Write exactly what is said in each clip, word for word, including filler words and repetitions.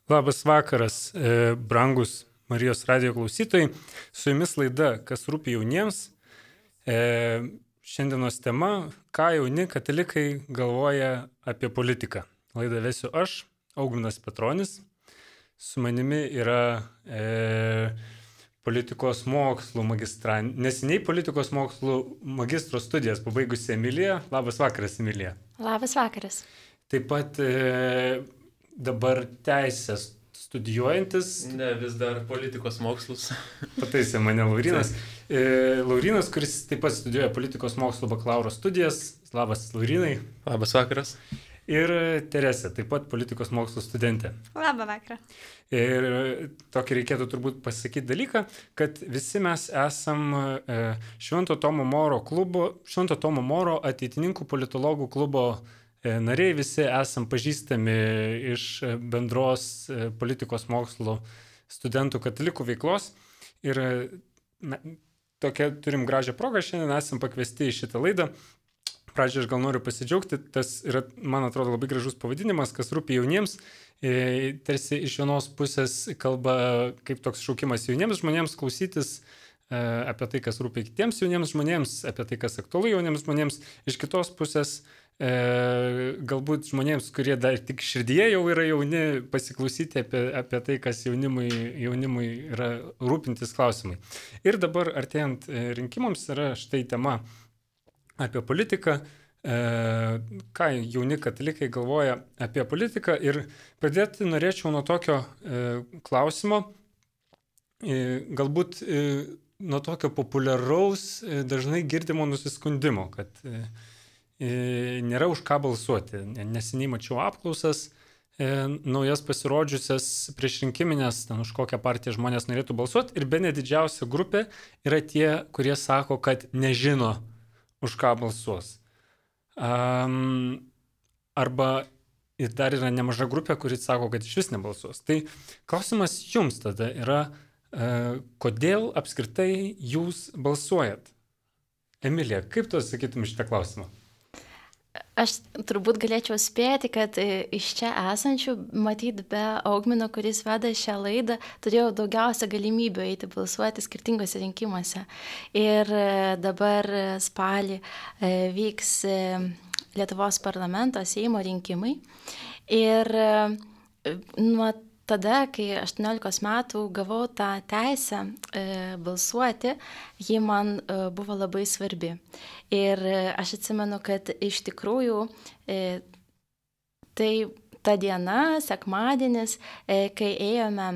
Labas vakaras, e, brangus Marijos radijo klausytojai. Su jumis laida Kas rūpi jauniems. E, šiandienos tema - ką jauni katalikai galvoja apie politiką. Laidą vesiu aš, Augminas Petronis. Su manimi yra e, politikos mokslų magistra, neseniai politikos mokslų magistro studijas pabaigusi Emilija. Labas vakaras, Emilija. Labas vakaras. Taip pat e, dabar teisės studijuojantis. Ne, vis dar politikos mokslus. Pataisė mane Laurinas. E, Laurinas, kuris taip pat studijuoja politikos mokslų bakalauro studijas. Labas, Laurinai. Labas vakaras. Ir Teresė, taip pat politikos mokslų studentė. Labą vakarą. Ir tokį reikėtų turbūt pasakyti dalyką, kad visi mes esam e, Švento Tomo Moro klubo, Švento Tomo Moro ateitininkų politologų klubo nariai, visi esam pažįstami iš bendros politikos mokslo studentų katalikų veiklos. Ir na, tokia turim gražią progą, šiandien esam pakviesti į šitą laidą. Pradžioje aš gal noriu pasidžiaugti, tas yra, man atrodo, labai gražus pavadinimas, kas rūpi jauniems. E, tarsi iš vienos pusės kalba kaip toks šaukimas jauniems žmonėms klausytis e, apie tai, kas rūpi kitiems jauniems žmonėms, apie tai, kas aktualu jauniems žmonėms. Iš kitos pusės E, galbūt žmonėms, kurie dar tik širdyje jau yra jauni, pasiklausyti apie, apie tai, kas jaunimui, jaunimui yra rūpintis klausimai. Ir dabar artėjant rinkimams yra štai tema apie politiką, e, ką jauni katalikai galvoja apie politiką. Ir pradėti norėčiau nuo tokio e, klausimo, e, galbūt e, nuo tokio populiaraus, e, dažnai girdimo nusiskundimo, kad e, nėra už ką balsuoti. Neseniai mačiau apklausas, e, naujas pasirodžiusias prieš rinkiminės, ten už kokią partiją žmonės norėtų balsuoti. Ir bene didžiausia grupė yra tie, kurie sako, kad nežino, už ką balsuos. Um, arba ir dar yra nemaža grupė, kuri sako, kad iš vis nebalsuos. Tai klausimas jums tada yra, e, kodėl apskritai jūs balsuojat? Emilija, kaip tu atsakytum šitą klausimą? Aš turbūt galėčiau spėti, kad iš čia esančių, matyt, be Augmino, kuris veda šią laidą, turėjau daugiausia galimybių eiti balsuoti skirtingose rinkimuose. Ir dabar spalį vyks Lietuvos parlamento Seimo rinkimai. Ir nuo tada, kai aštuoniolikos metų gavau tą teisę e, balsuoti, ji man e, buvo labai svarbi. Ir e, aš atsimenu, kad iš tikrųjų e, tai ta diena, sekmadienis, e, kai ėjome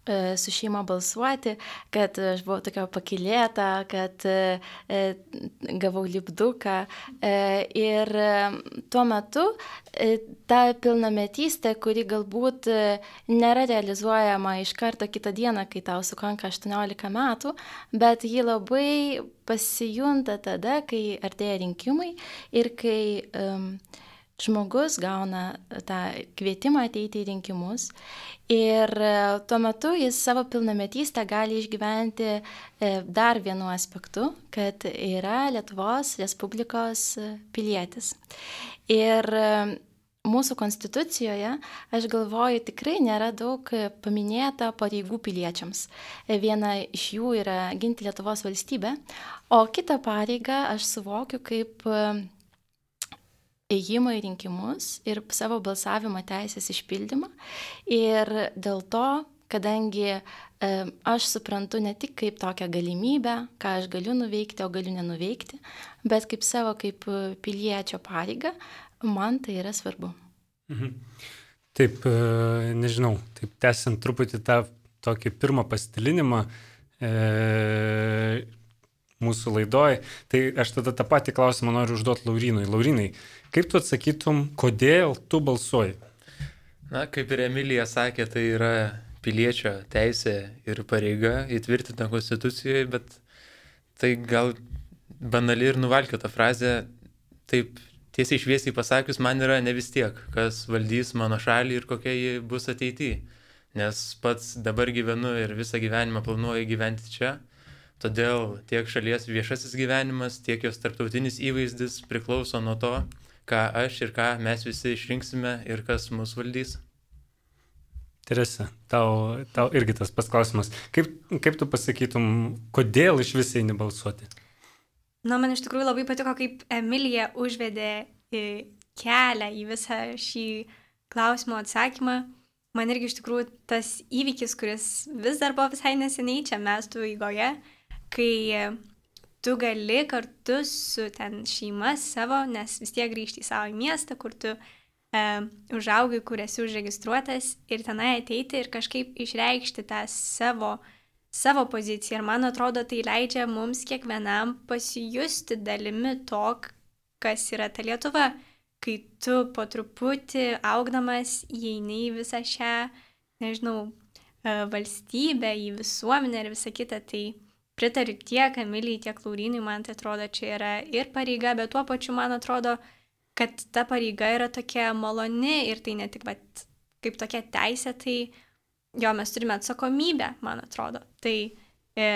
e, su šeima balsuoti, kad aš buvau tokia pakylėta, kad e, gavau lipduką. E, ir e, tuo metu e, ta pilnametystė, kuri galbūt e, nėra realizuojama iš karto kitą dieną, kai tau sukanka aštuoniolika metų, bet ji labai pasijunta tada, kai artėja rinkimai ir kai e, žmogus gauna tą kvietimą ateiti į rinkimus ir tuo metu jis savo pilnametystę gali išgyventi dar vienu aspektu, kad yra Lietuvos Respublikos pilietis. Ir mūsų konstitucijoje, aš galvoju, tikrai nėra daug paminėta pareigų piliečiams. Viena iš jų yra ginti Lietuvos valstybę, o kitą pareigą aš suvokiu kaip ėjimą į rinkimus ir savo balsavimo teisės išpildymą. Ir dėl to, kadangi e, aš suprantu ne tik kaip tokią galimybę, ką aš galiu nuveikti, o galiu nenuveikti, bet kaip savo kaip piliečio pareigą, man tai yra svarbu. Mhm. Taip, e, nežinau, taip tęsiant truputį tą tokį pirmą pasidalinimą, e, mūsų laidoj, tai aš tada tą patį klausimą noriu užduoti Laurinui. Laurinai, kaip tu atsakytum, kodėl tu balsuoji? Na, kaip ir Emilija sakė, tai yra piliečio teisė ir pareiga įtvirtinta Konstitucijoje, bet tai gal banali ir nuvalkiota frazė, taip tiesiai šviesiai pasakius, man yra ne vis tiek, kas valdys mano šalį ir kokia ji bus ateityje. Nes pats dabar gyvenu ir visą gyvenimą planuoju gyventi čia. Todėl tiek šalies viešasis gyvenimas, tiek jos tarptautinis įvaizdis priklauso nuo to, ką aš ir ką mes visi išrinksime ir kas mus valdys. Terese, tau, tau irgi tas pats klausimas. Kaip, kaip tu pasakytum, kodėl iš vis eini balsuoti? Na, man iš tikrųjų labai patiko, kaip Emilija užvedė kelią į visą šį klausimo atsakymą. Man irgi iš tikrųjų tas įvykis, kuris vis dar buvo visai neseniai čia mestų eigoje, kai tu gali kartu su ten šeima savo, nes vis tiek grįžti į savo miestą, kur tu e, užaugai, kur esi užregistruotas ir tenai ateiti ir kažkaip išreikšti tą savo, savo poziciją. Ir man atrodo, tai leidžia mums kiekvienam pasijusti dalimi to, kas yra ta Lietuva. Kai tu po truputį augdamas įeini į visą šią, nežinau, valstybę, į visuomenę ir visą kitą, tai pritariu tiek Emilijai, tiek Laurynui, man tai atrodo, čia yra ir pareiga, bet tuo pačiu man atrodo, kad ta pareiga yra tokia maloni ir tai ne tik vat, kaip tokia teisė, tai jo mes turime atsakomybę, man atrodo. Tai e,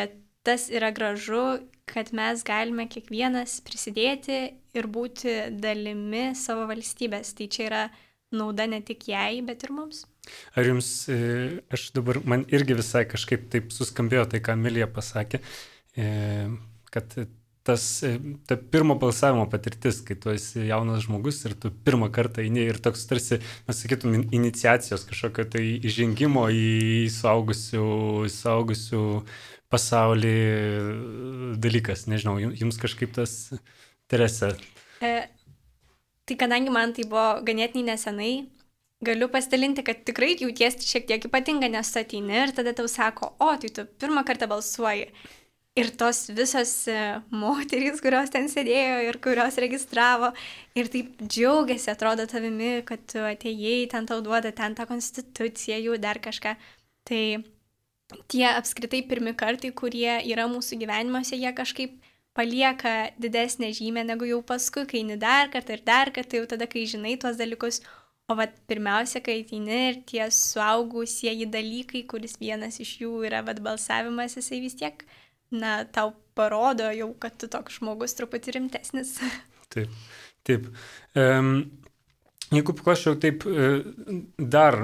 tas yra gražu, kad mes galime kiekvienas prisidėti ir būti dalimi savo valstybės. Tai čia yra nauda ne tik jai, bet ir mums. Ar jums, aš dabar, man irgi visai kažkaip taip suskambėjo tai, ką Emilija pasakė, kad tas, ta pirmo balsavimo patirtis, kai tu esi jaunas žmogus ir tu pirmą kartą eini ir toks tarsi, mes sakytum, iniciacijos kažkokio tai įžengimo į suaugusių, suaugusių pasaulį dalykas, nežinau, jums kažkaip tas, Terese. E, tai kadangi man tai buvo ganėtinai nesenai, galiu pasidalinti, kad tikrai jautiesi šiek tiek ypatinga, nes tu ateini ir tada tau sako, o, tai tu pirmą kartą balsuoji. Ir tos visos moterys, kurios ten sėdėjo ir kurios registravo, ir taip džiaugiasi, atrodo tavimi, kad tu atėjai, ten tau duoda ten tą konstituciją, jų dar kažką. Tai tie apskritai pirmi kartai, kurie yra mūsų gyvenimuose, jie kažkaip palieka didesnę žymę negu jau paskui, kai eini dar kartą ir dar kartą, jau tada, kai žinai tuos dalykus. O vat pirmiausia, kai ateini ir tie suaugusieji dalykai, kuris vienas iš jų yra vat balsavimas, jisai vis tiek, na, tau parodo jau, kad tu toks žmogus truputį rimtesnis. Taip, taip. Um, jeigu paklausčiau taip dar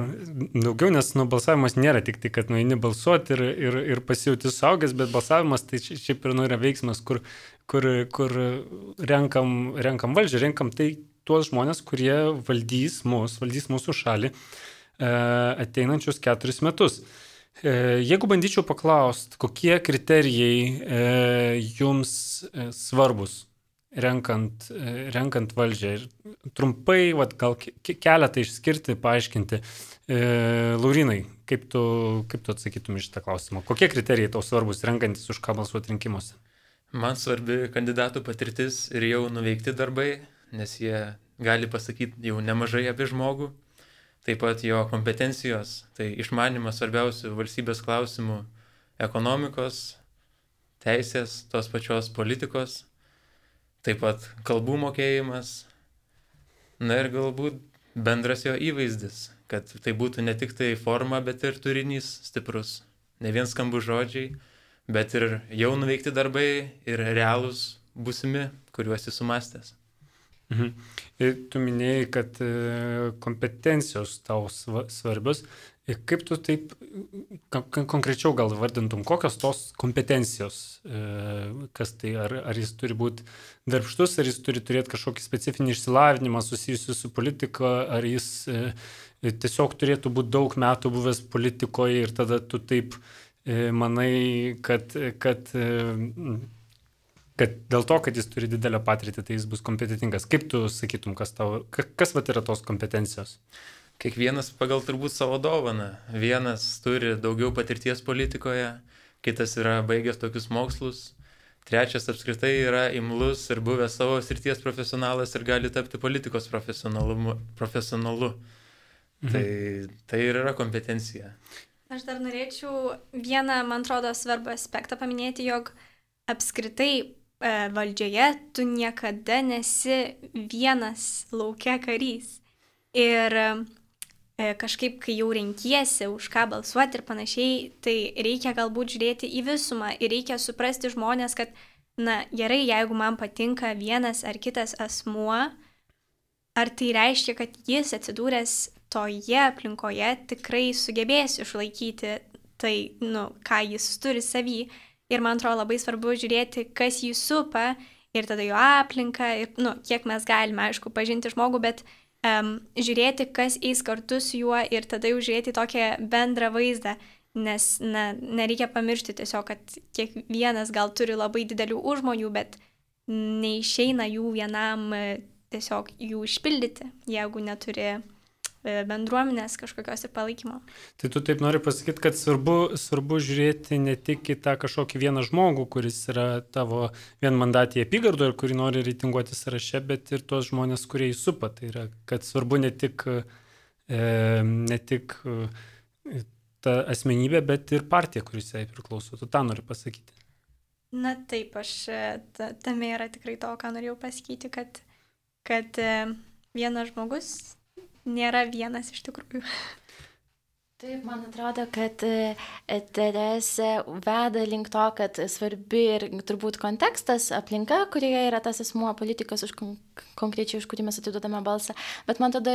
daugiau, nes nu, balsavimas nėra tik tai, kad nueini balsuoti ir, ir, ir pasijauti suaugęs, bet balsavimas tai šiaip ir nu yra veiksmas, kur, kur, kur renkam, renkam valdžią, renkam tai, tuos žmonės, kurie valdys mus, valdys mūsų šalį e, ateinančius keturis metus. E, jeigu bandyčiau paklausti, kokie kriterijai e, jums e, svarbus renkant, e, renkant valdžią ir trumpai, vat, gal ke- keletą išskirti, paaiškinti. E, Laurynai, kaip tu, kaip tu atsakytum iš šitą klausimą? Kokie kriterijai tau svarbus renkantis už ką balsuoti rinkimuose? Man svarbi kandidatų patirtis ir jau nuveikti darbai, nes jie gali pasakyti jau nemažai apie žmogų. Taip pat jo kompetencijos, tai išmanimas svarbiausių valstybės klausimų ekonomikos, teisės, tos pačios politikos, taip pat kalbų mokėjimas, na ir galbūt bendras jo įvaizdis, kad tai būtų ne tik tai forma, bet ir turinys stiprus. Ne vien skambų žodžiai, bet ir jau nuveikti darbai ir realūs būsimi, kuriuos jis sumastęs. Mhm. Ir tu minėjai, kad kompetencijos tau svarbios. Ir kaip tu taip konkrečiau gal vardintum, kokios tos kompetencijos, kas tai, ar, ar jis turi būti darbštus, ar jis turi turėti kažkokį specifinį išsilavinimą susijusiu su politika, ar jis tiesiog turėtų būti daug metų buvęs politikoje ir tada tu taip manai, kad... kad kad dėl to, kad jis turi didelę patirtį, tai jis bus kompetentingas. Kaip tu sakytum, kas, tau, kas vat yra tos kompetencijos? Kiekvienas pagal turbūt savo dovaną. Vienas turi daugiau patirties politikoje, kitas yra baigęs tokius mokslus, trečias apskritai yra imlus ir buvęs savo srities profesionalas ir gali tapti politikos profesionalu. Mhm. Tai, tai ir yra kompetencija. Aš dar norėčiau vieną, man atrodo, svarbų aspektą paminėti, jog apskritai valdžioje tu niekada nesi vienas lauke karys. Ir kažkaip, kai jau renkiesi, už ką balsuoti ir panašiai, tai reikia galbūt žiūrėti į visumą ir reikia suprasti žmonės, kad, na, gerai, jeigu man patinka vienas ar kitas asmuo, ar tai reiškia, kad jis atsidūręs toje aplinkoje tikrai sugebės išlaikyti tai, nu, ką jis turi savy. Ir man atrodo labai svarbu žiūrėti, kas jį supa ir tada jo aplinką, ir, nu, kiek mes galime, aišku, pažinti žmogų, bet um, žiūrėti, kas eis kartu su juo ir tada jau žiūrėti tokią bendrą vaizdą, nes na, nereikia pamiršti tiesiog, kad kiekvienas gal turi labai didelių užmojų, bet neišeina jų vienam tiesiog jų išpildyti, jeigu neturi bendruomenės kažkokios ir palaikymo. Tai tu taip nori pasakyti, kad svarbu, svarbu žiūrėti ne tik į tą kažkokį vieną žmogų, kuris yra tavo vienmandatėje apygardoje ir kurį nori reitinguoti sąraše, bet ir tuos žmonės, kurie jį supa. Tai yra, kad svarbu ne tik, e, ne tik e, ta asmenybė, bet ir partija, kuris jai priklauso. Tu tą nori pasakyti. Na taip, aš ta, tame yra tikrai to, ką norėjau pasakyti, kad, kad e, vienas žmogus nėra vienas iš tikrųjų. Taip, man atrodo, kad Teresė veda link to, kad svarbi ir turbūt kontekstas, aplinka, kurioje yra tas asmuo, politikas, už konkrečiai, už kurį mes atiduodame balsą. Bet man atrodo,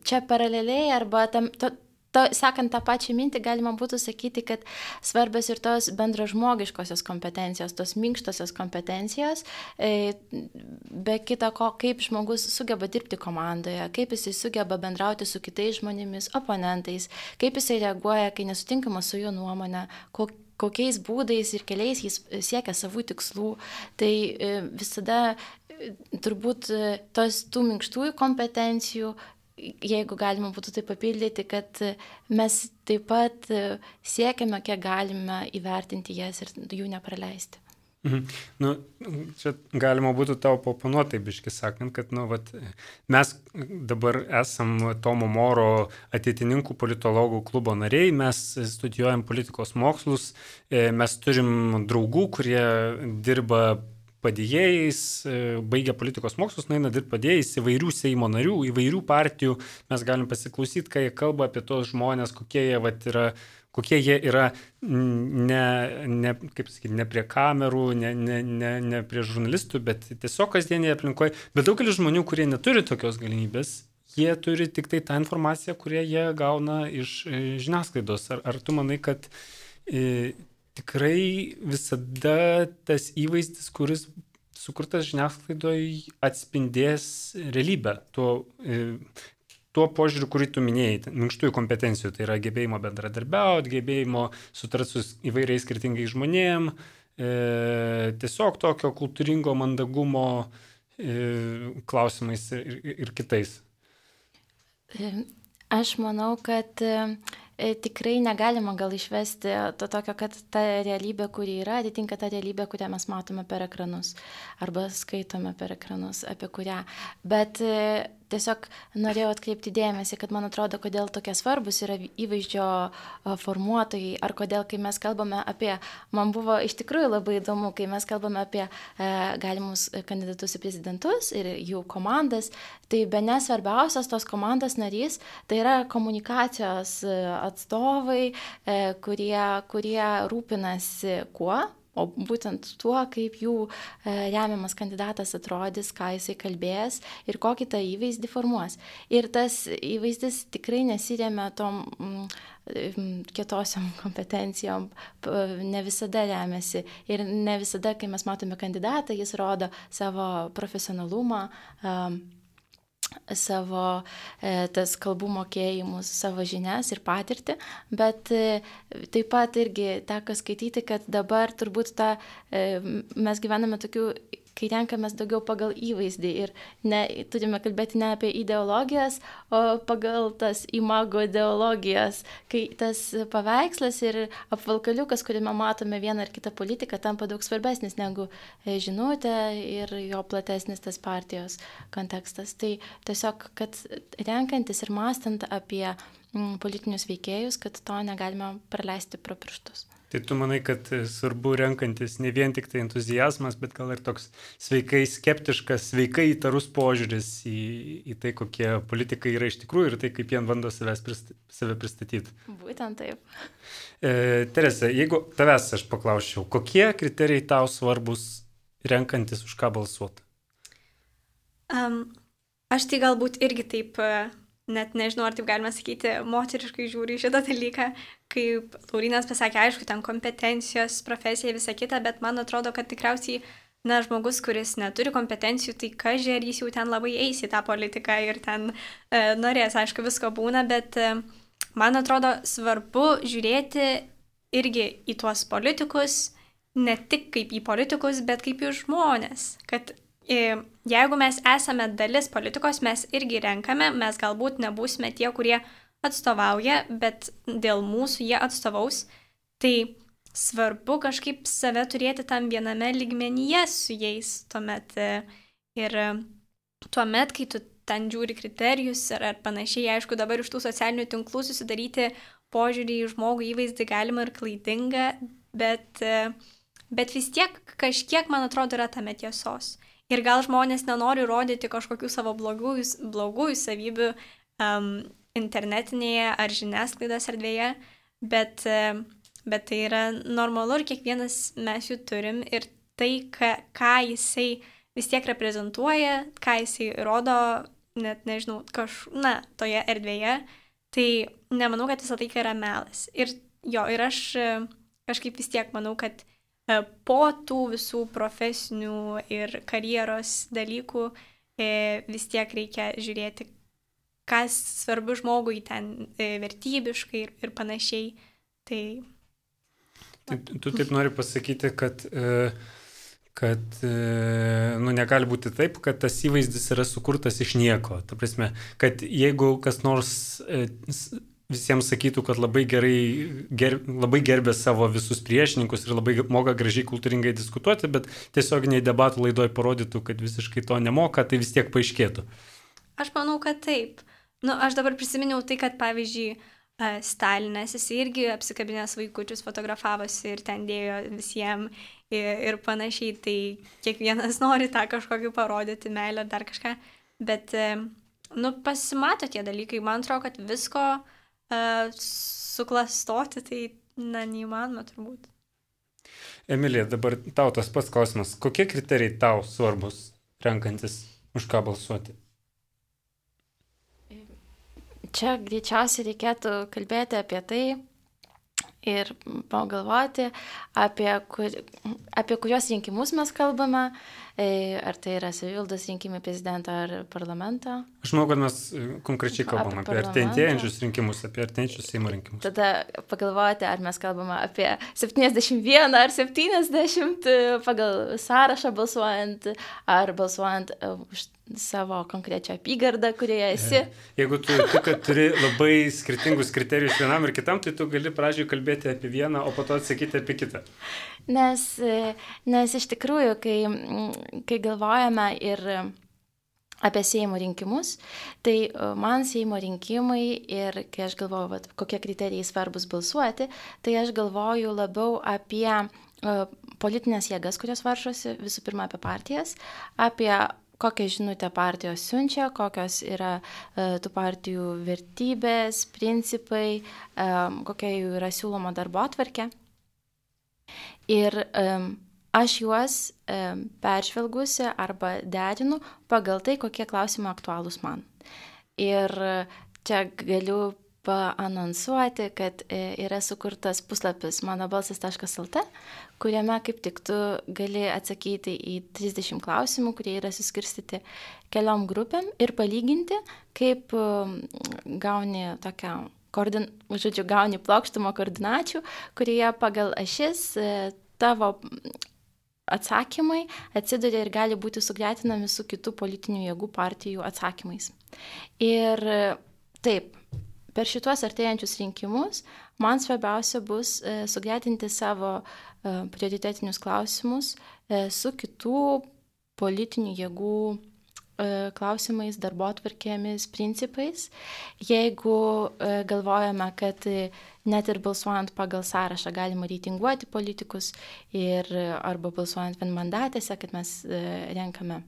čia paraleliai arba tam... To, To, sekant tą pačią mintį, galima būtų sakyti, kad svarbios ir tos bendražmogiškosios kompetencijos, tos minkštosios kompetencijos, e, be kita ko, kaip žmogus sugeba dirbti komandoje, kaip jisai sugeba bendrauti su kitais žmonėmis, oponentais, kaip jisai reaguoja, kai nesutinkama su jo nuomonė, kok, kokiais būdais ir keliais jis siekia savų tikslų. Tai e, visada e, turbūt e, tos tų minkštųjų kompetencijų, jeigu galima būtų tai papildyti, kad mes taip pat siekiame, kiek galime įvertinti jas ir jų nepraleisti. Mhm. Nu, čia galima būtų tau paoponuoti, biškai sakant, kad nu, vat, mes dabar esam Tomo Moro ateitininkų politologų klubo nariai, mes studijuojam politikos mokslus, mes turim draugų, kurie dirba padėjėjais, baigia politikos mokslus, nueina dirbti padėjėjais įvairių Seimo narių, įvairių partijų. Mes galim pasiklausyti, kai jie kalba apie tos žmonės, kokie jie, vat, yra, kokie jie yra ne, ne, kaip sakyti, ne prie kamerų, ne, ne, ne, ne prie žurnalistų, bet tiesiog kasdienėje aplinkoje. Bet daugelis žmonių, kurie neturi tokios galimybės, jie turi tik tai tą informaciją, kurią jie gauna iš žiniasklaidos. Ar, ar tu manai, kad e, tikrai visada tas įvaizdis, kuris sukurtas žiniasklaidoje, atspindės realybę tuo, tuo požiūriu, kurį tu minėjai, minkštųjų kompetencijų, tai yra gebėjimo bendradarbiauti, gebėjimo sutarti su įvairiais skirtingais žmonėm, e, tiesiog tokio kultūringo mandagumo e, klausimais ir, ir, ir kitais. Aš manau, kad tikrai negalima gal išvesti to tokio, kad ta realybė, kuri yra, atitinka tą realybę, kurią mes matome per ekranus arba skaitome per ekranus, apie kurią. Bet tiesiog norėjau atkreipti dėmesį, kad man atrodo, kodėl tokie svarbus yra įvaizdžio formuotojai, ar kodėl, kai mes kalbame apie, man buvo iš tikrųjų labai įdomu, kai mes kalbame apie e, galimus kandidatus į prezidentus ir jų komandas, tai bene svarbiausias tos komandos narys, tai yra komunikacijos atstovai, e, kurie, kurie rūpinasi kuo? O būtent tuo, kaip jų remiamas kandidatas atrodys, ką jisai kalbės ir kokį tą įvaizdį formuos. Ir tas įvaizdis tikrai nesiremia tom mm, kietosiom kompetencijom, ne visada remiasi. Ir ne visada, kai mes matome kandidatą, jis rodo savo profesionalumą, um, savo e, tas kalbų mokėjimus, savo žinias ir patirtį, bet e, taip pat irgi teko skaityti, kad dabar turbūt ta, e, mes gyvename tokių, kai renkamės daugiau pagal įvaizdį ir ne, turime kalbėti ne apie ideologijas, o pagal tas imago ideologijas, kai tas paveikslas ir apvalkaliukas, kuriame matome vieną ar kitą politiką, tampa daug svarbesnis negu žinutė ir jo platesnis tas partijos kontekstas. Tai tiesiog, kad renkantis ir mąstant apie politinius veikėjus, kad to negalime praleisti pro pirštus. Tai tu manai, kad svarbu renkantis ne vien tik tai entuziazmas, bet gal ir toks sveikai skeptiškas, sveikai įtarus požiūris į, į tai, kokie politikai yra iš tikrųjų ir tai, kaip jie bando prist, save pristatyti. Būtent taip. E, Terese, jeigu tavęs aš paklausčiau, kokie kriterijai tau svarbus renkantis už ką balsuoti? Um, aš tai galbūt irgi taip uh, net nežinau, ar taip galima sakyti, moteriškai žiūri į šitą dalyką, kaip Laurynas pasakė, aišku, ten kompetencijos, profesija, visa kita, bet man atrodo, kad tikriausiai, na, žmogus, kuris neturi kompetencijų, tai kažkai ar jis jau ten labai eis į tą politiką ir ten e, norės, aišku, visko būna, bet e, man atrodo svarbu žiūrėti irgi į tuos politikus, ne tik kaip į politikus, bet kaip į žmonės, kad jeigu mes esame dalis politikos, mes irgi renkame, mes galbūt nebūsime tie, kurie atstovauja, bet dėl mūsų jie atstovaus, tai svarbu kažkaip save turėti tam viename lygmenyje su jais tuomet. Ir tuomet, kai tu ten žiūri kriterijus ar, ar panašiai, aišku, dabar iš tų socialinių tinklų susidaryti požiūrį į žmogų įvaizdį galima ir klaidinga, bet, bet vis tiek kažkiek, man atrodo, yra tame tiesos. Ir gal žmonės nenori rodyti kažkokių savo blogųjų, blogųjų savybių um, internetinėje ar žiniasklaidos erdvėje, bet, bet tai yra normalu ir kiekvienas mes jų turim ir tai, ką, ką jisai vis tiek reprezentuoja, ką jisai rodo, net nežinau, kaž, na, toje erdvėje, tai nemanau, kad visą tai yra melas. Ir jo, ir aš kažkaip vis tiek manau, kad po tų visų profesinių ir karjeros dalykų vis tiek reikia žiūrėti, kas svarbu žmogui ten vertybiškai ir, ir panašiai. Tai... Taip, tu taip nori pasakyti, kad, kad nu, negali būti taip, kad tas įvaizdis yra sukurtas iš nieko. Ta prasme, kad jeigu kas nors visiems sakytų, kad labai gerai, ger, labai gerbė savo visus priešininkus ir labai moka gražiai kultūringai diskutuoti, bet tiesioginiai debatų laidoje parodytų, kad visiškai to nemoka, tai vis tiek paaiškėtų. Aš manau, kad taip. Nu, aš dabar prisiminiau tai, kad pavyzdžiui, Stalinas, jis irgi apsikabinęs vaikučius fotografavosi ir ten dėjo visiems ir, ir panašiai, tai kiekvienas nori tą kažkokį parodyti, meilę ar dar kažką, bet, nu, pasimato tie dalykai, man atrodo, kad visko Uh, suklastoti, tai, na, neįmanoma turbūt. Emilija, dabar tau tas pats klausimas. Kokie kriterijai tau svarbus renkantis, už ką balsuoti? Čia greičiausiai reikėtų kalbėti apie tai ir pagalvoti, apie, kur, apie kurios rinkimus mes kalbame, ar tai yra savivaldos rinkimai prezidento ar parlamento. Aš manau, kad mes konkrečiai kalbame apie, apie artėjantiejančius rinkimus, apie artėjančius Seimo rinkimus. Tada pagalvoti, ar mes kalbame apie septyniasdešimt vieną ar septyniasdešimt pagal sąrašą balsuojant, ar balsuojant už savo konkrečią apygardą, kurioje esi. Jeigu tu, tu kad turi labai skirtingus kriterijus vienam ir kitam, tai tu gali pradžioj kalbėti apie vieną, o po to atsakyti apie kitą. Nes, nes iš tikrųjų, kai, kai galvojame ir apie Seimo rinkimus, tai man Seimo rinkimai ir kai aš galvoju, vat, kokie kriterijai svarbus balsuoti, tai aš galvoju labiau apie uh, politinės jėgas, kurios varžosi, visų pirma apie partijas, apie kokią žinutę partijos siunčia, kokios yra uh, tų partijų vertybės, principai, um, kokia jų yra siūloma darbotvarkė. Ir um, aš juos um, peržvelgusi arba derinu pagal tai, kokie klausimai aktualūs man. Ir čia galiu paanonsuoti, kad yra sukurtas puslapis mano balsas taškas el tė, kuriame kaip tik tu gali atsakyti į trisdešimt klausimų, kurie yra suskirstyti keliom grupėm ir palyginti, kaip gauni tokią, koordin, žodžiu, gauni plokštumą koordinačių, kurie pagal ašis tavo atsakymai atsiduria ir gali būti sugretinami su kitų politinių jėgų partijų atsakymais. Ir taip, per šituos artėjančius rinkimus man svarbiausia bus e, sugretinti savo e, prioritetinius klausimus e, su kitų politinių jėgų e, klausimais, darbotvarkėmis, principais. Jeigu e, galvojame, kad e, net ir balsuojant pagal sąrašą galima reitinguoti politikus ir arba balsuojant vienmandatėse, kad mes e, renkame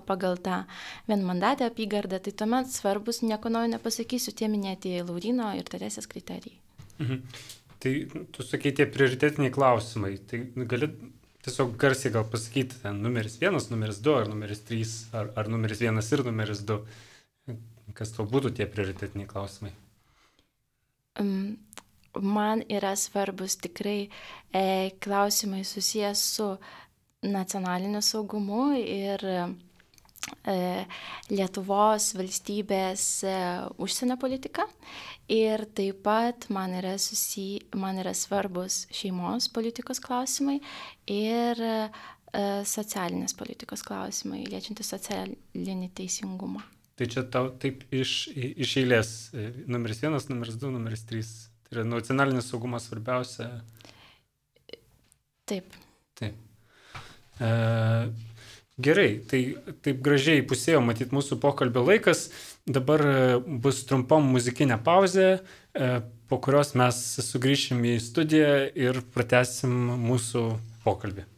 pagal tą vienmandatę apygardą, tai tuomet svarbus, nieko naujo nepasakysiu, tie minėti Lauryno ir Teresės kriterijai. Mhm. Tai tu sakai tie prioritetiniai klausimai, tai gali tiesiog garsiai gal pasakyti ten numeris vienas, numeris du, ar numeris trys, ar, ar numeris vienas ir numeris du. Kas tau būtų tie prioritetiniai klausimai? Man yra svarbus tikrai e, klausimai susijęs su nacionaliniu saugumu ir e, Lietuvos valstybės e, užsienio politika. Ir taip pat man yra, susi... man yra svarbus šeimos politikos klausimai ir e, socialinės politikos klausimai, liečiantys socialinį teisingumą. Tai čia tau taip iš, iš eilės numeris vienas, numeris du, numeris trys. Tai yra nacionalinis saugumas svarbiausia. Taip. Taip. E, gerai, tai taip gražiai pusėjo matyti mūsų pokalbio laikas. Dabar bus trumpam muzikinė pauzė, e, po kurios mes sugrįšim į studiją ir pratęsim mūsų pokalbį.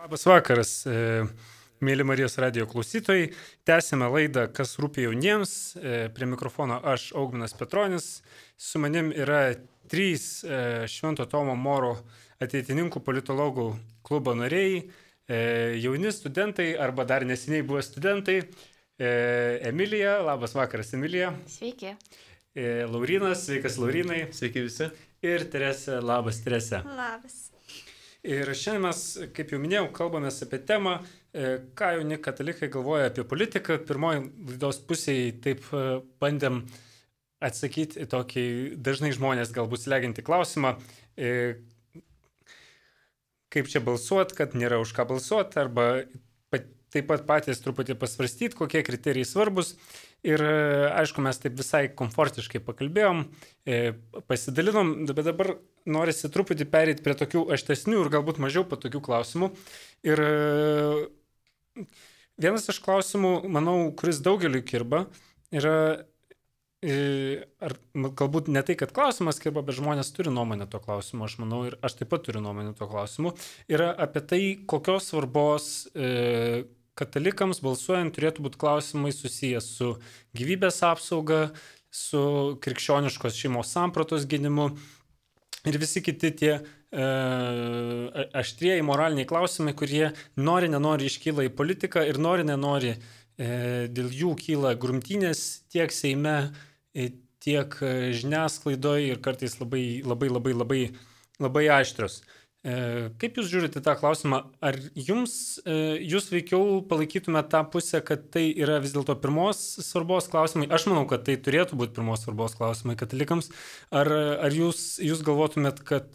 Labas vakaras, mėly Marijos radijo klausytojai. Tęsime laidą Kas rūpi jauniems. Prie mikrofono aš, Augminas Petronis. Su manim yra trys Švento Tomo Moro ateitininkų politologų klubo nariai, jauni studentai arba dar neseniai buvę studentai. Emilija, labas vakaras, Emilija. Sveiki. Laurynas, sveikas Laurynai. Sveiki visi. Ir Teresė, labas Teresė. Labas. Ir šiandien mes, kaip jau minėjau, kalbamės apie temą, ką jauni katalikai galvoja apie politiką. Pirmoji laidos pusėje taip bandėm atsakyti į tokį dažnai žmonės galbūt slegiantį klausimą, kaip čia balsuoti, kad nėra už ką balsuoti, arba taip pat patys truputį pasvarstyti, kokie kriterijai svarbus. Ir aišku, mes taip visai komfortiškai pakalbėjom, pasidalinom, bet dabar norisi truputį pereiti prie tokių aštesnių ir galbūt mažiau patogių klausimų. Ir vienas iš klausimų, manau, kuris daugeliui kirba, yra, ar galbūt ne tai, kad klausimas kirba, bet žmonės turi nuomonę to klausimu, aš manau, ir aš taip pat turiu nuomonę to klausimu, yra apie tai, kokios svarbos e, katalikams balsuojant turėtų būti klausimai susijęs su gyvybės apsauga, su krikščioniškos šeimos sampratos gynimu ir visi kiti tie e, aštrieji moraliniai klausimai, kurie nori, nenori iškyla į politiką ir nori, nenori e, dėl jų kyla grumtynės tiek Seime, e, tiek žiniasklaidoje ir kartais labai, labai, labai, labai, labai aštrios. Kaip jūs žiūrite tą klausimą? Ar jums, jūs veikiau palaikytumėte tą pusę, kad tai yra vis dėlto pirmos svarbos klausimai? Aš manau, kad tai turėtų būti pirmos svarbos klausimai katalikams. Ar, ar jūs, jūs galvotumėt, kad,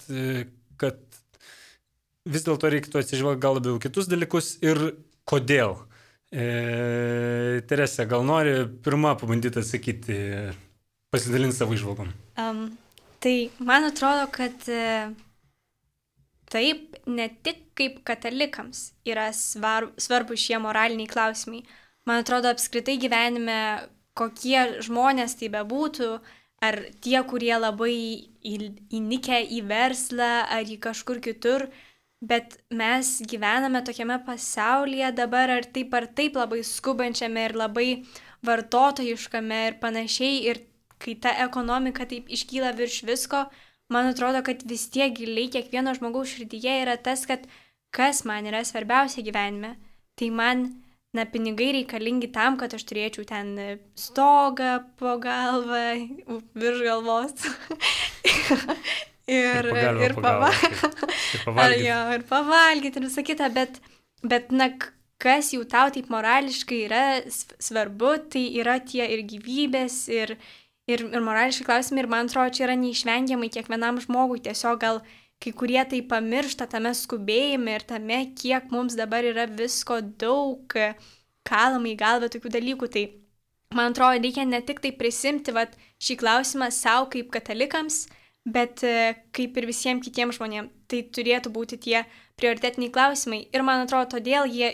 kad vis dėlto reikėtų atsižvelgti gal labiau kitus dalykus ir kodėl? E, Teresė, gal nori pirmą pabandyti atsakyti, pasidalinti savo įžvalgom? Um, tai man atrodo, kad taip, ne tik kaip katalikams yra svar, svarbus šie moraliniai klausimai. Man atrodo, apskritai gyvenime, kokie žmonės tai bebūtų, ar tie, kurie labai įnikę į verslą, ar į kažkur kitur, bet mes gyvename tokiame pasaulyje dabar, ar taip ar taip labai skubančiame ir labai vartotojiškame ir panašiai, ir kai ta ekonomika taip iškyla virš visko, man atrodo, kad vis tiek giliai kiekvieno žmogaus širdyje yra tas, kad kas man yra svarbiausia gyvenime. Tai man, na, pinigai reikalingi tam, kad aš turėčiau ten stogą po galvą, virš galvos. ir, ir, ir, pava... ir pavalgyti. Jo, ir pavalgyti ir visą kitą, bet, bet, na, kas jau tau taip morališkai yra svarbu, tai yra tie ir gyvybės, ir Ir, ir morališkai klausimai, ir man atrodo, čia yra neišvengiamai kiekvienam žmogui, tiesiog gal kai kurie tai pamiršta tame skubėjime ir tame, kiek mums dabar yra visko daug, kalama į galvą tokių dalykų. Tai man atrodo, reikia ne tik tai prisimti vat, šį klausimą savo kaip katalikams, bet kaip ir visiems kitiems žmonėms. Tai turėtų būti tie prioritetiniai klausimai. Ir man atrodo, todėl jie,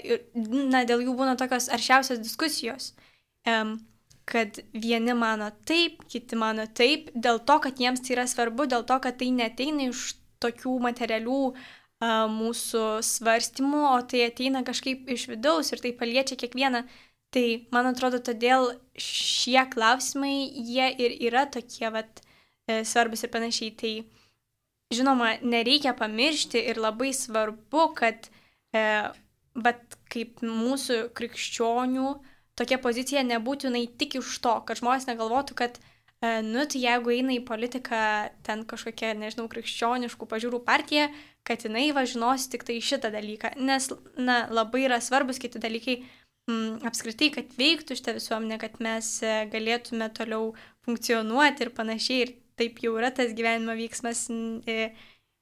na, dėl jų būna tokios aršiausios diskusijos. Um, kad vieni mano taip, kiti mano taip, dėl to, kad jiems tai yra svarbu, dėl to, kad tai neteina iš tokių materialių uh, mūsų svarstymų, o tai ateina kažkaip iš vidaus ir tai paliečia kiekvieną. Tai, man atrodo, todėl šie klausimai, jie ir yra tokie vat, svarbus ir panašiai. Tai, žinoma, nereikia pamiršti ir labai svarbu, kad e, vat, kaip mūsų krikščionių tokia pozicija nebūtinai tik iš to, kad žmonės negalvotų, kad, e, nu, tai jeigu eina į politiką ten kažkokia, nežinau, krikščioniškų pažiūrų partija, kad jinai va žinosi tik tai šitą dalyką. Nes, na, labai yra svarbus kiti dalykai m, apskritai, kad veiktų šitą visuomenę, kad mes e, galėtume toliau funkcionuoti ir panašiai. Ir taip jau yra tas gyvenimo vyksmas. E,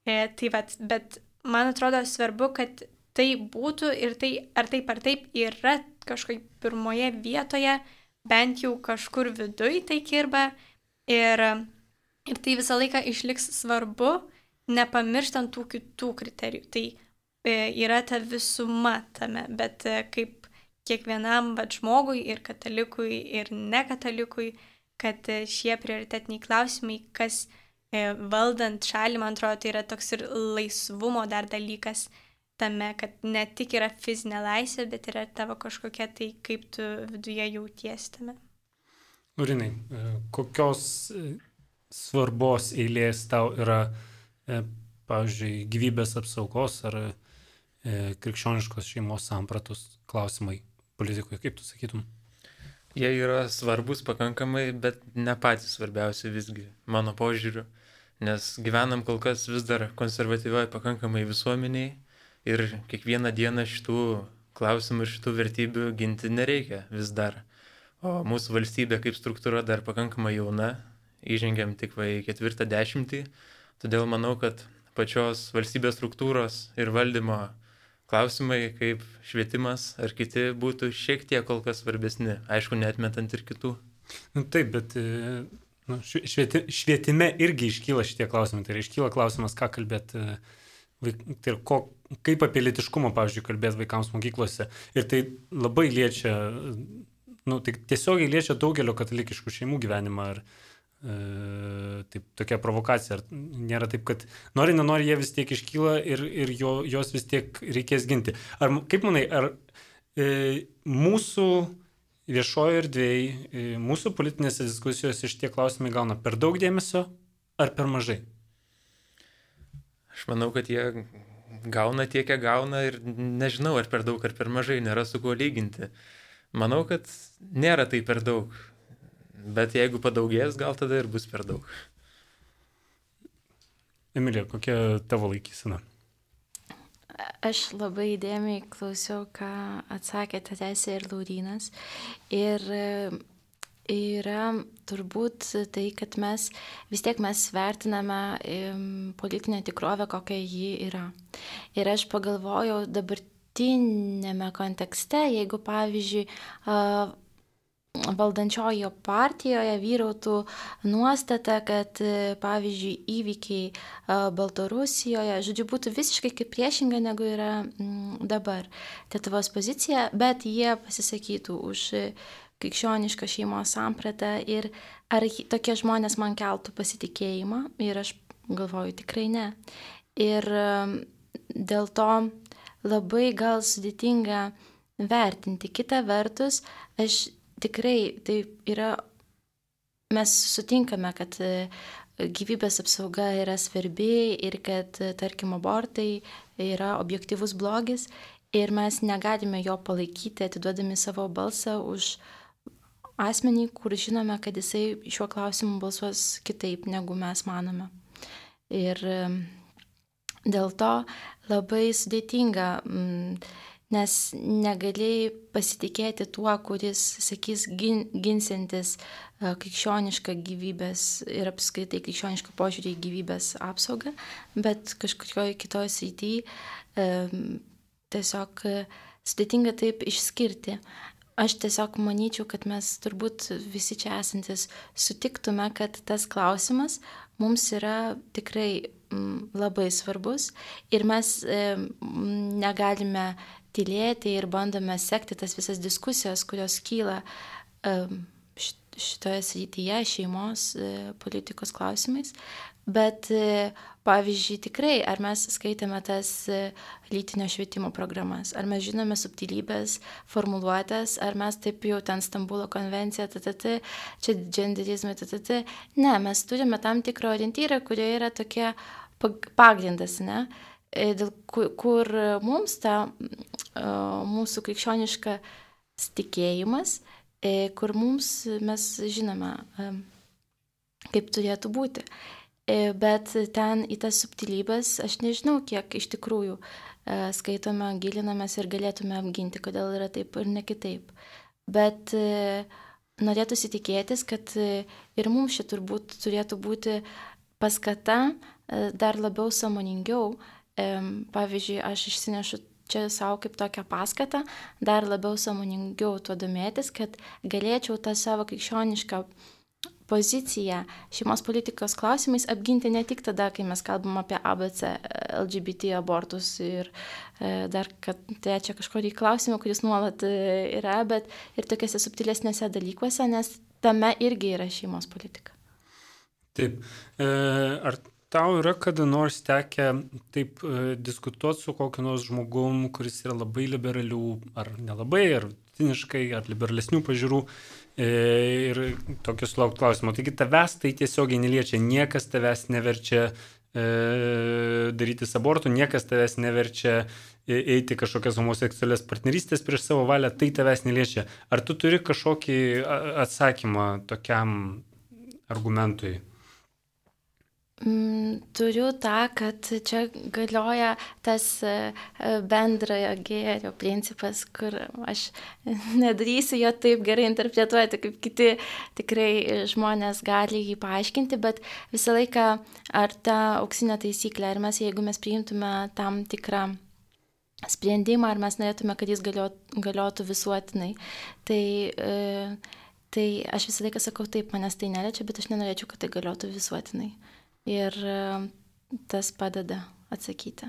e, tai va, bet man atrodo svarbu, kad tai būtų ir tai ar taip ar taip yra kažkaip pirmoje vietoje, bent jau kažkur viduj tai kirba ir, ir tai visą laiką išliks svarbu, nepamirštant tų kitų kriterijų. Tai e, yra ta visuma tame, bet e, kaip kiekvienam vat, žmogui ir katalikui ir nekatalikui, kad e, šie prioritetiniai klausimai, kas e, valdant šalį, man atrodo, tai yra toks ir laisvumo dar dalykas. tame, kad ne tik yra fizinė laisvė, bet yra tavo kažkokia tai, kaip tu viduje jautiesi tame. Laurinai, kokios svarbos eilės tau yra, pavyzdžiui, gyvybės apsaugos ar krikščioniškos šeimos sampratos klausimai politikoje, kaip tu sakytum? Jie yra svarbus pakankamai, bet ne patys svarbiausi visgi, mano požiūriu, nes gyvenam kol kas vis dar konservatyvioje pakankamai visuomeniai ir kiekvieną dieną šitų klausimų ir šitų vertybių ginti nereikia vis dar. O mūsų valstybė kaip struktūra dar pakankamai jauna, įžengiam tik va į ketvirtą dešimtį, todėl manau, kad pačios valstybės struktūros ir valdymo klausimai kaip švietimas ar kiti būtų šiek tiek kol kas svarbesni, aišku, neatmetant ir kitų. Nu, taip, bet nu, švieti, švietime irgi iškyla šitie klausimai, tai yra iškyla klausimas, ką kalbėti, tai ko, kaip apie lytiškumą, pavyzdžiui, kalbėti vaikams mokyklose. Ir tai labai liečia, nu, tai tiesiogiai liečia daugelio katalikiškų šeimų gyvenimą. Ar, e, taip, tokia provokacija. Ar nėra taip, kad nori, nenori, jie vis tiek iškyla ir, ir jo, jos vis tiek reikės ginti. Ar, kaip manai, ar e, mūsų viešojo erdvėj, e, mūsų politinėse diskusijose šitie klausimai gauna per daug dėmesio ar per mažai? Aš manau, kad jie gauna tiek, kiek gauna ir nežinau, ar per daug, ar per mažai, nėra su kuo lyginti. Manau, kad nėra tai per daug, bet jeigu padaugės, gal tada ir bus per daug. Emilija, kokia tavo laikysena? Aš labai įdėmiai klausiau, ką atsakė Teresė ir Laurynas. Ir yra turbūt tai, kad mes vis tiek mes vertiname politinę tikrovę, kokia ji yra. Ir aš pagalvojau dabartinėme kontekste, jeigu pavyzdžiui valdančiojo partijoje vyrautų nuostata, kad pavyzdžiui įvykiai Baltarusijoje, žodžiu, būtų visiškai kaip priešinga negu yra dabar Lietuvos pozicija, bet jie pasisakytų už krikščionišką šeimos sampratą ir ar tokie žmonės man keltų pasitikėjimą ir aš galvoju tikrai ne. Ir dėl to labai gal sudėtinga vertinti. Kita vertus, aš tikrai tai yra, mes sutinkame, kad gyvybės apsauga yra svarbi ir kad, tarkim, abortai yra objektyvus blogis ir mes negalime jo palaikyti, atiduodami savo balsą už asmenį, kur žinome, kad jisai šiuo klausimu balsuos kitaip, negu mes manome. Ir dėl to labai sudėtinga, nes negalėjai pasitikėti tuo, kuris, sakys, gin, ginsintis krikščionišką gyvybės ir apskritai krikščionišką požiūrį į gyvybės apsaugą, bet kažkurioje kitoje srityje e, tiesiog sudėtinga taip išskirti. Aš tiesiog manyčiau, kad mes turbūt visi čia esantis sutiktume, kad tas klausimas mums yra tikrai m, labai svarbus ir mes e, negalime tylėti ir bandome sekti tas visas diskusijas, kurios kyla e, šitoje srityje šeimos e, politikos klausimais. Bet, pavyzdžiui, tikrai, ar mes skaitėme tas lytinio švietimo programas, ar mes žinome subtilybės, formuluotės, ar mes taip jau ten Stambulo konvencija, ttt, čia genderizmai, ttt. Ne, mes turime tam tikrą orientyrą, kurie yra tokie pagrindas, ne? Dėl kur, kur mums ta mūsų krikščioniška tikėjimas, kur mums mes žinome, kaip turėtų būti. Bet ten į tas subtilybės aš nežinau, kiek iš tikrųjų skaitome, gilinamės ir galėtume apginti, kodėl yra taip ir ne kitaip. Bet norėtųsi tikėtis, kad ir mums čia turbūt turėtų būti paskata dar labiau sąmoningiau. Pavyzdžiui, aš išsinešu čia savo kaip tokią paskatą, dar labiau sąmoningiau tuo domėtis, kad galėčiau tą savo krikščionišką poziciją šeimos politikos klausimais apginti ne tik tada, kai mes kalbam apie A B C, L G B T abortus ir e, dar kad trečia kažkokį klausimą, kuris nuolat yra, bet ir tokiuose subtilesnėse dalykuose, nes tame irgi yra šeimos politika. Taip. E, ar tau yra kada nors tekę taip e, diskutuoti su kokiu nors žmogum, kuris yra labai liberalių, ar nelabai, ar vidutiniškai, ar liberalesnių pažiūrų e, ir tokius laukti klausimų. Taigi tavęs tai tiesiogiai neliečia, niekas tavęs neverčia e, daryti abortų, niekas tavęs neverčia eiti kažkokias homoseksualias partnerystės prieš savo valią, tai tavęs neliečia. Ar tu turi kažkokį atsakymą tokiam argumentui? Mm, turiu tą, kad čia galioja tas bendrojo gėrio principas, kur aš nedarysiu jo taip gerai interpretuoti, kaip kiti tikrai žmonės gali jį paaiškinti, bet visą laiką ar ta auksinė taisyklė, ar mes, jeigu mes priimtume tam tikrą sprendimą, ar mes norėtume, kad jis galiotų, galiotų visuotinai, tai, tai aš visą laiką sakau taip, manęs tai neliečia, bet aš nenorėčiau, kad tai galiotų visuotinai. Ir tas padeda atsakyti.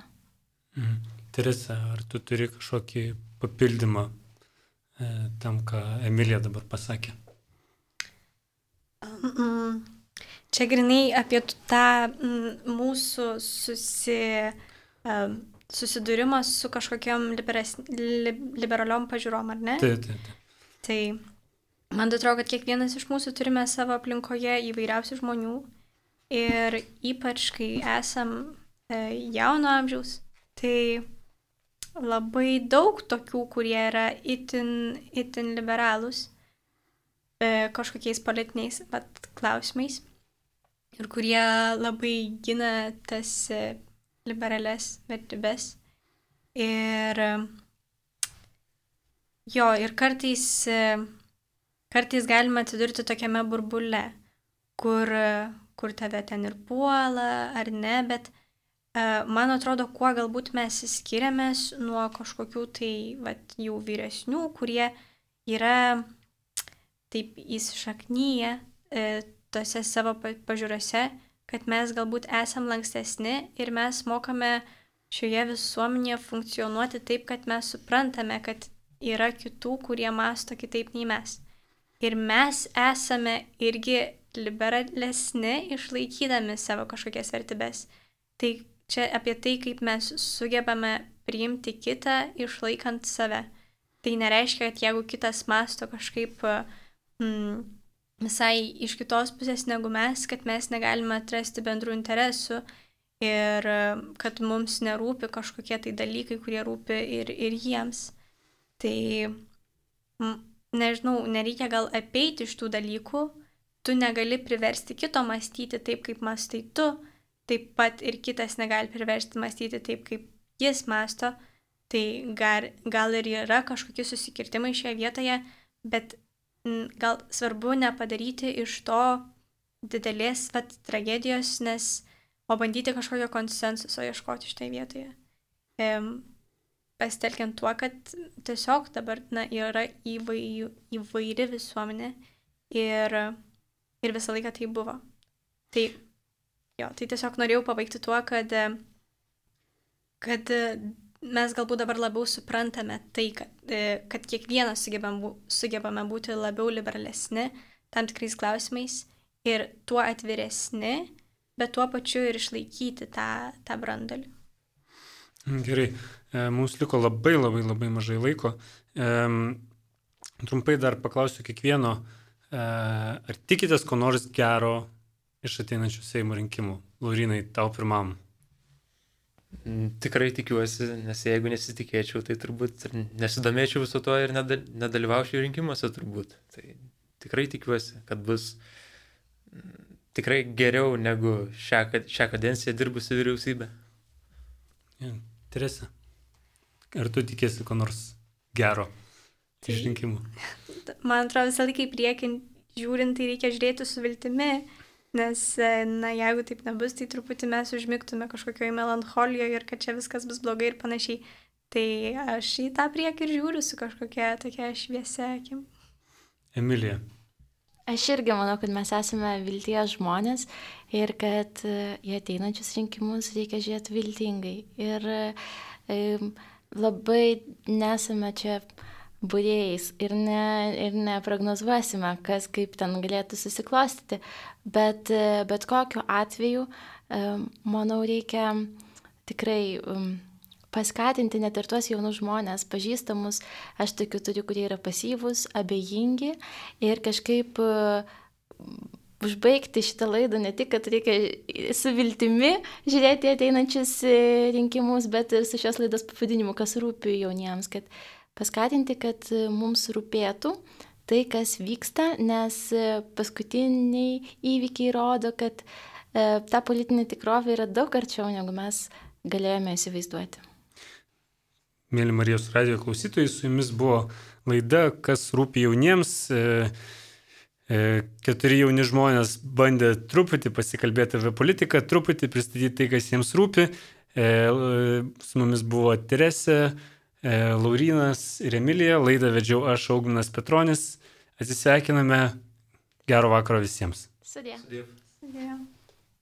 Mhm. Teresa, ar tu turi kažkokį papildymą e, tam, ką Emilija dabar pasakė? Mm, čia grinai apie tą mm, mūsų susi, um, susidūrimą su kažkokiam liberas, li, liberaliom pažiūrom, ar ne? Taip, taip, taip. Tai man atrodo, kad kiekvienas iš mūsų turime savo aplinkoje įvairiausių žmonių. Ir ypač, kai esam e, jauno amžiaus, tai labai daug tokių, kurie yra itin, itin liberalūs e, kažkokiais politiniais vat, klausimais ir kurie labai gina tas e, liberales vertybes. Ir jo, ir kartais, e, kartais galima atsidurti tokiame burbule, kur kur tave ten ir puola, ar ne, bet uh, man atrodo, kuo galbūt mes skiriamės nuo kažkokių tai vat, jau vyresnių, kurie yra taip įsišaknyje e, tose savo pažiūrose, kad mes galbūt esam lankstesni ir mes mokame šioje visuomenėje funkcionuoti taip, kad mes suprantame, kad yra kitų, kurie mąsto kitaip nei mes. Ir mes esame irgi liberalesni, išlaikydami savo kažkokias vertybės. Tai čia apie tai, kaip mes sugebame priimti kitą, išlaikant save. Tai nereiškia, kad jeigu kitas mąsto kažkaip mm, visai iš kitos pusės negu mes, kad mes negalime atrasti bendrų interesų ir kad mums nerūpi kažkokie tai dalykai, kurie rūpi ir, ir jiems. Tai, mm, nežinau, nereikia gal apeiti iš tų dalykų. Tu negali priversti kito mąstyti taip, kaip mąstai tu, taip pat ir kitas negali priversti mąstyti taip, kaip jis mąsto. Tai gal, gal ir yra kažkokie susikirtimai šioje vietoje, bet m, gal svarbu nepadaryti iš to didelės vat, tragedijos, nes o bandyti kažkokio konsensuso ieškoti šitoje vietoje. E, pasitelkiant tuo, kad tiesiog dabar na, yra įvairi, įvairi visuomenė ir Ir visą laiką tai buvo. Tai, jo, tai tiesiog norėjau pabaigti tuo, kad, kad mes galbūt dabar labiau suprantame tai, kad, kad kiekvienas sugebam, sugebame būti labiau liberalesni tam tikrais klausimais ir tuo atviresni, bet tuo pačiu ir išlaikyti tą, tą brandalį. Gerai, mums liko labai labai labai mažai laiko. Trumpai dar paklausiu kiekvieno. Ar tikitės ko nors gero iš ateinančių Seimo rinkimų? Laurinai, tau pirmam. Tikrai tikiuosi, nes jeigu nesitikėčiau, tai turbūt nesidomėčiau viso to ir nedalyvaučiau rinkimuose turbūt. Tai tikrai tikiuosi, kad bus tikrai geriau negu šią, šią kadenciją dirbusi vyriausybė. Ja, Teresa, ar tu tikėsi ko nors gero iš rinkimų? Man atrodo, visą laiką į priekį žiūrint, tai reikia žiūrėti su viltimi, nes, na, jeigu taip nebus, tai truputį mes užmigtume kažkokioje melancholijoje ir kad čia viskas bus blogai ir panašiai. Tai aš į tą priekį ir žiūriu su kažkokia tokia šviesia akim. Emilija. Aš irgi manau, kad mes esame vilties žmonės ir kad į ateinančius rinkimus reikia žiūrėti viltingai. Ir e, labai nesame čia būrėjais ir, ne, ir neprognozuosime, kas kaip ten galėtų susiklostyti, bet, bet kokiu atveju, manau, reikia tikrai paskatinti net ir tuos jaunus žmonės, pažįstamus, aš tokių turiu, kurie yra pasyvūs, abejingi ir kažkaip užbaigti šitą laidą ne tik, kad reikia su viltimi žiūrėti ateinančius rinkimus, bet ir su šios laidos pavadinimu, kas rūpi jauniems, kad paskatinti, kad mums rūpėtų tai, kas vyksta, nes paskutiniai įvykiai rodo, kad ta politinė tikrovė yra daug arčiau, negu mes galėjome įsivaizduoti. Mėly Marijos radijo klausytojai, su jumis buvo laida, kas rūpi jauniems. Keturi jauni žmonės bandė truputį pasikalbėti apie politiką, truputį pristatyti tai, kas jiems rūpi. Su mumis buvo Teresė, Laurynas ir Emilija. Laidą vedžiau aš, Augminas Petronis. Atsisveikiname. Gero vakaro visiems. Sudie. Sudie. Sudie.